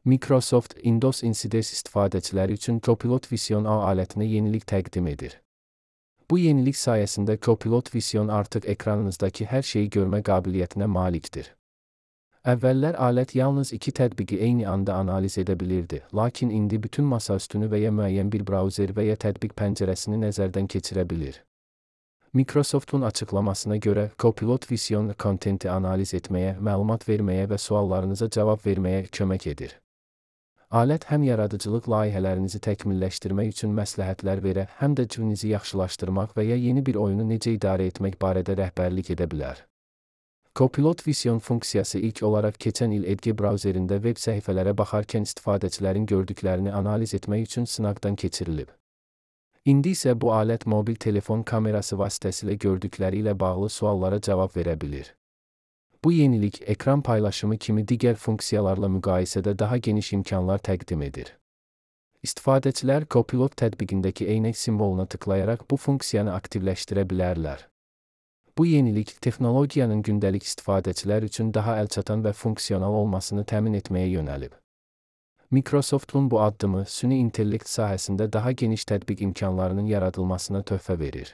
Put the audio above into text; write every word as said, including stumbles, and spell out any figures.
Microsoft Windows Insiders istifadəçiləri üçün Copilot Vision A alətinə yenilik təqdim edir. Bu yenilik sayəsində Copilot Vision artıq ekranınızdakı hər şeyi görmə qabiliyyətinə malikdir. Əvvəllər alət yalnız iki tətbiqi eyni anda analiz edə bilirdi, lakin indi bütün masaüstünü və ya müəyyən bir brauzer və ya tətbiq pəncərəsini nəzərdən keçirə bilir. Microsoft'un açıqlamasına görə, Copilot Vision kontenti analiz etməyə, məlumat verməyə və suallarınıza cavab verməyə kömək edir. Alət həm yaradıcılıq layihələrinizi təkmilləşdirmək üçün məsləhətlər verə, həm də cihazınızı yaxşılaşdırmaq və ya yeni bir oyunu necə idarə etmək barədə rəhbərlik edə bilər. Copilot Vision funksiyası ilk olaraq keçən il Edge brauzerində veb səhifələrə baxarkən istifadəçilərin gördüklərini analiz etmək üçün sınaqdan keçirilib. İndi isə bu alət mobil telefon kamerası vasitəsilə gördükləri ilə bağlı suallara cavab verə bilir. Bu yenilik, ekran paylaşımı kimi digər funksiyalarla müqayisədə daha geniş imkanlar təqdim edir. İstifadəçilər Copilot tətbiqindəki eynək simvoluna tıklayaraq bu funksiyanı aktivləşdirə bilərlər. Bu yenilik, texnologiyanın gündəlik istifadəçilər üçün daha əlçatan və funksional olmasını təmin etməyə yönəlib. Microsoft'un bu addımı, süni intellekt sahəsində daha geniş tətbiq imkanlarının yaradılmasına töhfə verir.